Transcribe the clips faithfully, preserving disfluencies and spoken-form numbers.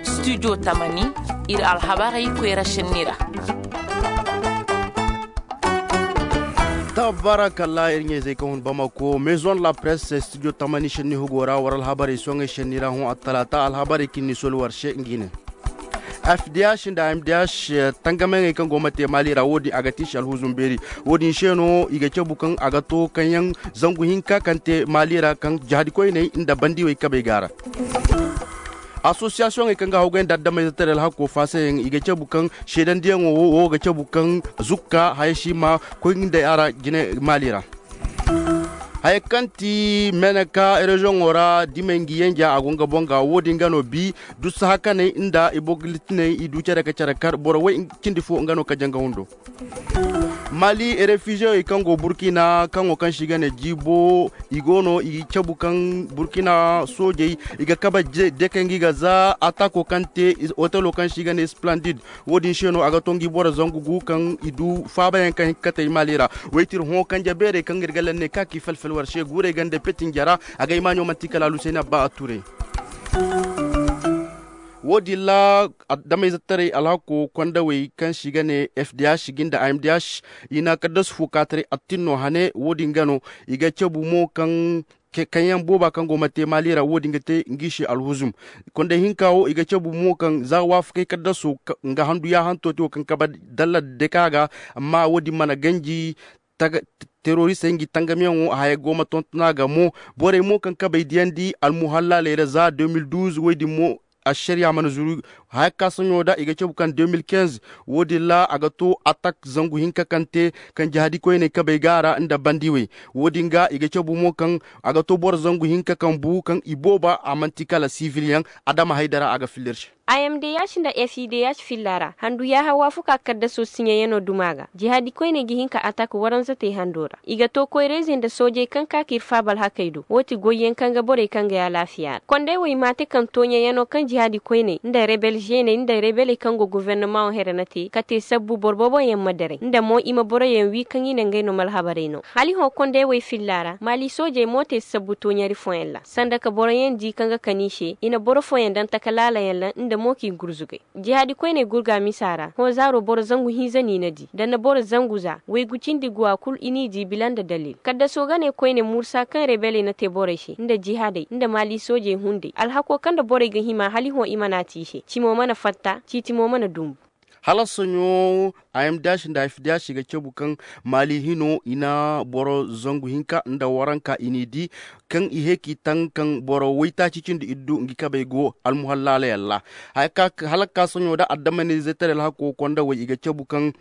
Studio tamani, ir alhabarey koyra šenni ra. Tabarakalla, ir ɲayzey kaŋ hun bamako maison de la presse studio tamani šenni hugo ra war alhabarey soŋey šenni ra hõ attalaata alhabarey kaŋ ni soli war se ngi ne. F D H nda M D H tangamayaŋey kaŋ go ma te maali ra wo-din a ga tiisi alhuzum beeri. Wo-din se no i ga cabu kaŋ a ga to kaŋyaŋ zangu hinka kaŋ te maali ra kaŋ jahadi koyney nda bandiwey kabey ga a ra. Asosiyasiyoŋey kaŋ ga hawgay nda addamayzetaray alhakko faasayaŋ i ga cabu kaŋ seedandiyaŋo wo wo ga cabu kaŋ zukka haya si ma koy nda a ra jine maali ra. Haya kaŋ ti meneka reziyoŋo ra dimey ngi yenja a go nga boŋ ga wo-din ga no bi dussa hakaney nda i bogolitiney i du care ka care kar boro way cindi fo nga no ka janga hundo. Mali refiziyey kaŋ go burkina kaŋo kaŋ se i ga ne jiibo i go no i cabu kaŋ burkina soojey i ga kabe dekey ngi ga za atako kaŋ te otelo kaŋ se i ga ne splendid. Wo-din se no a ga to ngi boro zangu gu kaŋ i du faabayaŋ kaŋ hin ka kate i maali ra. Waytir hõ kanje beerey kaŋ ir ga lenne ka k'i felfel war se guurey gande petinja ra. A ga i maaɲo manti kala alusayna ba a ture. Wo-din ra adamay zattarey alhako kondawey kaŋ se i ga ne fdh gi nda amdh i na kaddasu fo kaataray attin no hane wo-din ga no i ga cabu mo kaŋ kaŋyaŋ booba kaŋ go ma te maali ra wo-din ga te ngi se alhuzum. Konday hinka wo i ga cabu mo kaŋ za waafakey kaddaso nga handu yaahanto te wo kaŋ kabe dalla deka ga. Amma wo-din mana ganji teroristey ngi tangamiyaŋo haya go ma tontona ga mo. Borey mo kaŋ kabey diyandi almuhallaaley ra za deux mille douze woy din mo ašariya mana zuru. Haya ka soɲo da i ga cabu kaŋ deux mille quinze wo-din ra a ga to atak zangu hinka kaŋ te kaŋ jahadi koyney kabey ga a ra nda bandiwey. Wo-din ga i ga cabu mo kaŋ a ga to boro zangu hinka kaŋ bu kaŋ i booba a man'ti kala sivilyaŋ. Adama haydara a ga filla ir se. Amdh nda fidh filla ra handu yaaha waafaku a kaddaso siɲeyaŋo duma ga jihaadi koyney ga hin ka atak waranzatey hando ra. I ga to koyrayzey nda soojey kaŋ ka ka ir faaba alhakey do wo ti goyyaŋ kaŋ ga borey kaŋ ga ay alaafiya ra konday wey maate kaŋ tooɲayaŋo kaŋ jihaadi koyney nda rebel žeeney nda rebeley kaŋ go gofornomaŋo here na te ka te sabbu boro booboyaŋ ma daray nda mo i ma boroyaŋ wii kaŋ i ne ngey no ma alhabarey no. Hala i hõ konday wey filla ra maali soojey mo te sabbu tooɲari fooyaŋ ra sanda ka boroyaŋ di kaŋ ga kan i se i na boro fooyaŋ daŋ taka laalayaŋ ra nda mo k'i gurzugay. Jihaadi koyney gurga misa ra hõ zaaro boro zangu hinza no i na di da na boro zangu za waygu cindi guwa kul i n'i di bila nda dalil kaddaso ga ne koyne mursa kaŋ rebeley na te borey se nda jihaadey nda maali soojey hunday alhako kaŋ nda borey ga hima hala i hõ i mana te i se cimo mana fatta ciiti mo mana dumbu. Hala soɲo amdh nda fdh ga cabu kaŋ maali hino i na boro zangu hinka nda waranka i n'i di kaŋ i hee k'i taŋ kaŋ boro waytaaci cindi iddu ngi kabey go almuhallaaley alla. Hala ka soɲo da addamanizetaray alhako kondawey i ga cabu kaŋ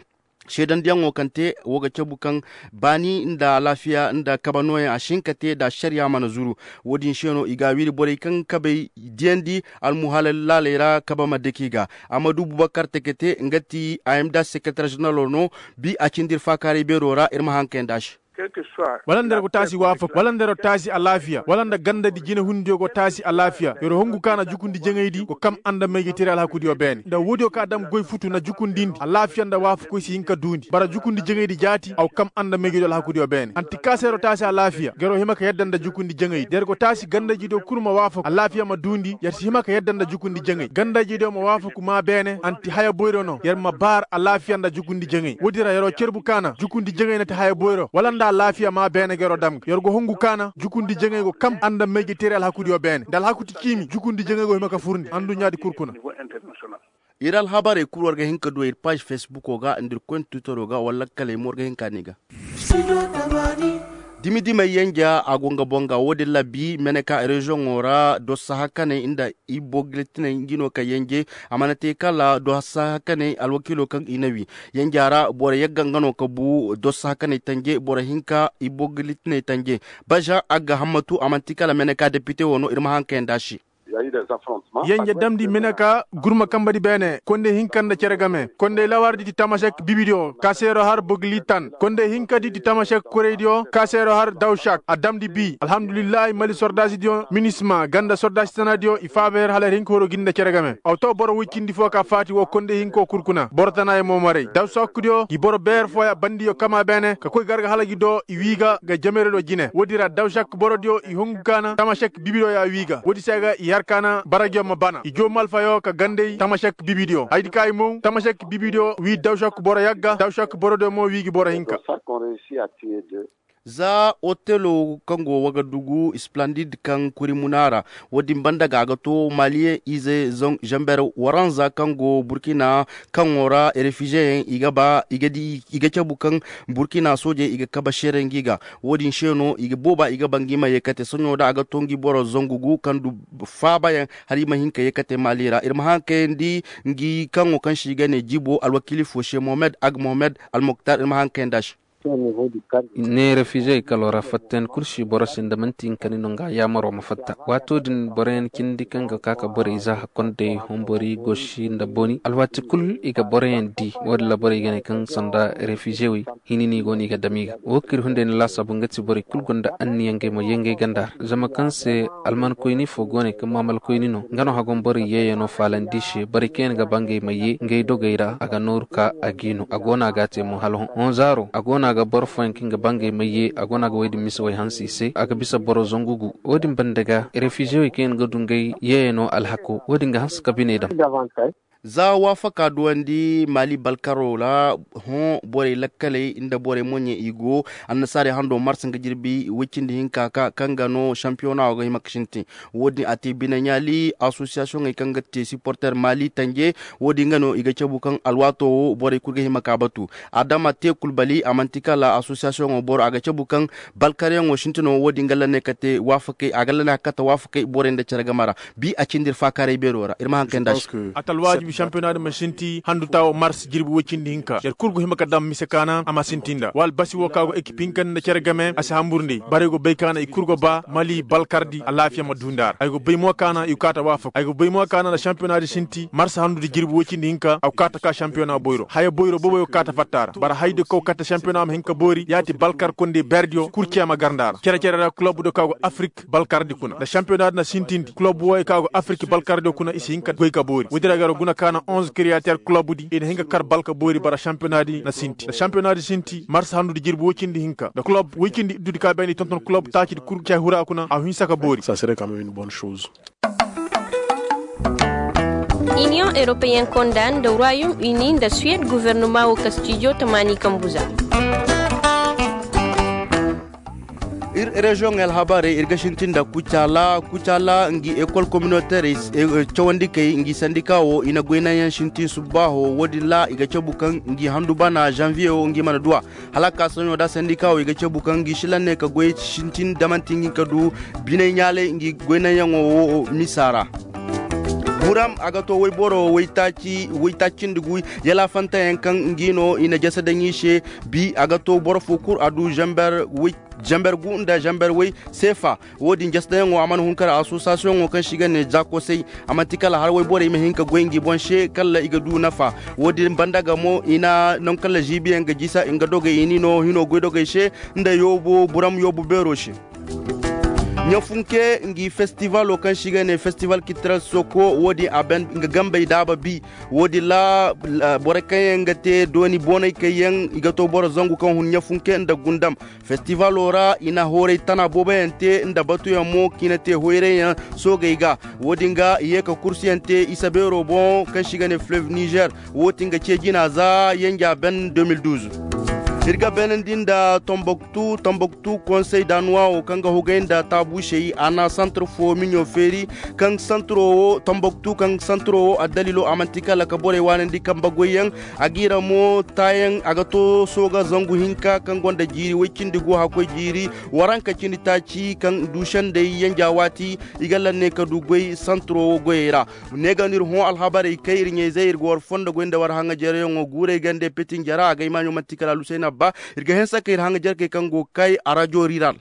seedandiyaŋo kaŋ te wo ga cabu kaŋ baani nda alaafiya nda kabe nooyaŋ a si hin ka te nda ašariya mana zuru. Wo-din se no i ga a wiri borey kaŋ kabey diyandi almuhallaaley ra kabe ma dake i ga. Amadu bubakar tekete nga ti amdh sekeretar ženeralo no. Bi a cindi ir faakaaray beero ra ir ma haŋ kay nd'a se. Wala nda yer go taasi waafaku wala nda yer go taasi alaafiya wala nda gandadi jinehundiyo go taasi alaafiya yer hongu ka na jukundi jaŋaydi go kam anda mayjey teeri alhakudiyo beene nda woodiyo ka dam goy futu na jukundindi alaafiya nda waafakoy si hin ka duundi bara jukundi jaŋaydi jaati a go kam anda mayjeydiyo alhakudiyo beene anti ka se yer go taasi alaafiya ga yer go hima ka yadda nda jukundi jaŋaydi da yer go taasi gandayjediyo kul ma waafaku alaafiya ma duundi yer si hima ka yadda nda jukundi jaŋay gandayjediyo ma waafaku maa beene anti haya boyro no yer ma baar alaafiya nda jukundi jaŋay woodi ra yer go cerbu ka na jukundi jaŋay na ti haya boyro wala nda alaafiya maa beene ga yer go dam ga yer go hungu ka na jukundi jaŋay go kam anda mayjey teeri alhakudiyo beene nda alhaku ti ciimi jukundi jaŋay go hima ka furndi anduɲɲaadi kul kuna. Ir alhabarey kul war ga hin ka du ir paaž fesbuko ga nda ir koyne twitero ga wala lakkaley mo war ga hin ka ne i ga. Dimi-dimey yenja a go nga boŋ ga wo-din ra bi meneka reziyoŋo ra dossa hakaney nda i bogletiney ngi no ka yenje. A mana te kala dossa hakaney alwakiilo kaŋ i na wi yenja ra boro yagga nga no ka bu dossa hakaney tanje boro hinka i bogletiney tanje. Baza agga hammatu a man'ti kala meneka depite wo no ir ma haŋ kayanda se. Yenje damndi meneka gurma kambadi beene konday hinka nda cere game konday lawardi ti tamasek bibidiyo ka se yer go har bogli tan konday hinkadi ti tamasek kuraydiyo ka se yer go har dawsak a damndi bi alhamdulillahi mali sordaasidiyo minisma ganda sordaasi tanadiyo i faaba yer hala yer hin ka horo gi nda cere game aw to boro woy cindi fo ka faati woo konday hinko kul kuna boro tanaayaŋ mo maray dawsakdiyo ngi boro beer fooya bandiyo kama beene ka koy garga hala gi do i wii ga ga jamerediyo jine woodi ra dawsak borodiyo i hungu ka na tamasek bibidiyo ya wii ga woodi se ga i har. kaana baragyo ma bana i joo malfayo ka ganday tamashek bibidiyo haydi ka i mow tamashek bibidiyo wii dawshek boro yagga dawshek borodiyo mo wii gi boro hinka. Za otelo kaŋ go wagadugu isplendid kaŋ kuri muna ra, wo- din banda ga a ga to maliyeŋ ize zamber waranza kaŋ go burkina, kaŋo ra refizeyaŋ i ga ba i ga cabu kaŋ burkina soojey i ga kabe seere ngi ga. Wo- din se no i ga booba i ga ba ngi ma ye kate soɲo da a ga to ngi boro zangu gu kaŋ du faabayaŋ, hala i ma hin ka ye kate mali ra ir ma haŋ kayandi ngi kaŋo kaŋ se i ga ne jibo alwakiili fo se mohamed ag mohamed almoktar ir ma haŋ kayandi a se. Ne refizey kalo ra fattayaŋ kul si boro se nda manti hinka ni no nga yaamaro ma fatta waato din boroyaŋ cindi kaŋ ga ka ka borey za hakkondey hombori gosi nda boni alwaati kul i ga boroyaŋ di. Wo- din ra borey ga ne kaŋ sanda refizey wey hini no i go no i ga dam i ga wo kir hunday ni laasaabu nga ti borey kul gonda anniya ngey ma ye ngey ganda ra zama kaŋ se almankoyni fo go ne kaŋ maamalkoyni no nga no hagon borey yeeyano faalandi se borey kaŋ yaŋ ga ba ngey ma ye ngey dogey ra a ga nooru ka a g'i no a go no a g'a te mo hala hõ hõ zaaro a go no a ga boro fooyaŋ kaŋ ga ba ngey ma ye a go no a ga wey din mise wey hanse i se a ga bisa boro zangu gu. Wo- din banda ga refizewey kaŋ yaŋ ga du ngey yeeyano alhako wo- din ga hanse ka biney daŋ. Za waafaka duwandi mali balkaro ra hõ borey lakkaley nda borey moɲey i go annasaarey hando mars nga jirbi woy cindi hinka ka kaŋ ga no sampiyona wo ga hima ga sintin. Wo- din a te bine ɲaali asosiyasiyoŋey kaŋ ga te siporter mali tanje. Wo- din ga no i ga cabu kaŋ alwaato wo borey kul ga hima ka batu. Adama te kulbali a manti kala asosiyasiyoŋo boro a ga cabu kaŋ balkaryaŋo sintino wo- din ga lanne kate waafakey a ga lanne a ga kate waafakey borey nda cere game ra. Bi a cindi ir faakaaray beero ra ir ma haŋ kay nda a se. A ta alwaajibi sampiyona din ma sinti handu taawo mars jirbi woy cindi hinka yer kul go hima ka daŋ mise kaana a ma sinti nda wala basi wo ka go ekip hinka nda cere game a si hambur ndey bara ay go bay kaana i kul go ba mali balkardi alaafiya ma du nda a ra ay go bay mo kaana i go kaata waafak ay go bay mo kaana nda sampiyona din sinti mars handu di jirbi woy cindi hinka a go kaata ka sampiyona boyro haya boyro boobo ay go kaata fatta ra bara haydi kaw katta sampiyona ma hin ka boori yaati balkar kondey berdiyo kul cee ma gar nda a ra cere cere ra kulub do ka go afrik balkardi kuna nda sampiyona din na sintindi kulub wooyo ka go afrik balkardiyo kuna i si hin ka goy ka boori woodi ra gar guna kaana onze kiriyater kulub di i na hin ka kar balka boori bara sampiyona di na sinti nda sampiyona di sinti mars handu di jirbi woy cindi hinka nda kulub woy cindi iddu di ka bayndi tonton kulub taaci di kul cee hura kuna a hinsa ka boori. Iniyoŋ europeyen konda nda royaume uni nda suwed guvernoma wo kastijo tamaani kambu za. Ir reziyoŋey alhabarey ir ga sintin nda kucaala kucaala ngi ekol kominoterey cawandikey ngi sandika wo i na goynayaŋ sintin subbaaho wo- din ra i ga cabu kaŋ ngi handu bana zanviye wo ngi mana duw'a. Hala a ka soɲo da sandika wo i ga cabu kaŋ ngi silan ne ka goy sintin da manti ngi ka du biney ɲaalay ngi goynayaŋo wo misa ra. Buram a ga to woyboro woytaaci woytaaci cindi gu yalaafanteyaŋ kaŋ ngi no i na jasa daŋ i se. Bi a ga to boro fo kul a du zamber woy zamber gu nda zamber woy seefa. Wo- din jasa daŋyaŋo a mana hun kar asosiyasiyoŋo kaŋ se i ga ne zakosey a manti kala har woyborey ma hin ka goy ngi boŋ se kala i ga du nafa. Wo- din banda ga mo i na naŋ kala ziibiyaŋ ga jisa nga dogey i ni no hino goydogey se nda yoobo buram yoobo beero se. Ɲafunke ngi festivalo kaŋ se i ga ne festival kitiral soko wo- din a ban nga gambey daaba bi. Wo- din ra borey kaŋ yaŋ ga te dooni boonay kayyaŋ i ga to boro zangu kaŋ hun ɲafunke nda gundam. Festivalo ra i na hooray tana booboyaŋ te nda batuyaŋ mo kaŋ i na te hoyrayyaŋ soogey ga. Wo- din ga i ye ka kursuyaŋ te isa beero boŋ kaŋ se i ga ne fleuve niger. Wo- din ga ce jina za yenja ben deux mille douze. Ir ga beenandi nda tomboktu tomboktu konsey danuwa wo kaŋ ga hugay nda taabuusey a na santar fo miɲo feeri. Kaŋ santaro wo tomboktu kaŋ santaro wo addalilo a manti kala ka borey waanandi kambe goyyaŋ. A ga i ra mo taayaŋ a ga to sooga zangu hinka kaŋ gonda jiiri woy cindi go hakkoy jiiri waranka cindi taaci kaŋ du sendey yenja waati. I ga lanne ka du goy santaro wo goyey ra. Ne ga no ir hõ alhabarey kay ir ɲayzey ir ga war fondo goy nda war haŋajaryaŋo guurey gande petinjara a ga ay maaɲo manti kala alusayna ba. Ir ga hanse ka ir haŋajarkey kaŋ go ga kay arajo riral.